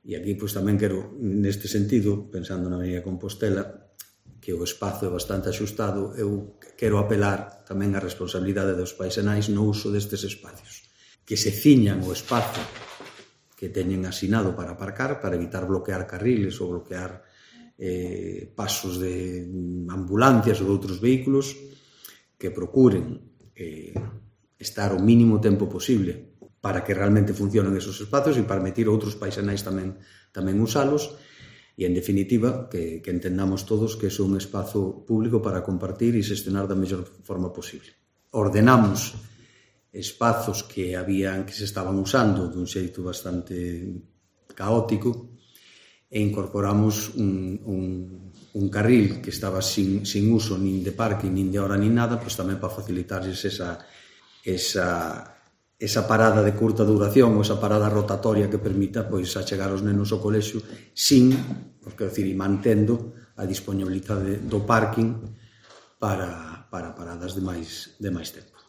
E aquí pois tamén quero, neste sentido, pensando na Avenida Compostela, que o espazo é bastante axustado, eu quero apelar tamén á responsabilidade dos paisanais no uso destes espacios. Que se ciñan o espazo que teñen asinado para aparcar, para evitar bloquear carriles ou bloquear pasos de ambulancias ou de outros vehículos, que procuren estar o mínimo tempo posible para que realmente funcionen esos espacios e permitir a outros paisanais tamén usalos e, en definitiva, que entendamos todos que é un espazo público para compartir e xestionar da mellor forma posible. Ordenamos espazos que se estaban usando dun xeito bastante caótico e incorporamos un carril que estaba sin uso nin de parking, nin de hora, nin nada, pois tamén para facilitarles esa parada de curta duración ou esa parada rotatoria que permita pois achegar os nenos ao colexio e mantendo a disponibilidade do parking para paradas de máis tempo.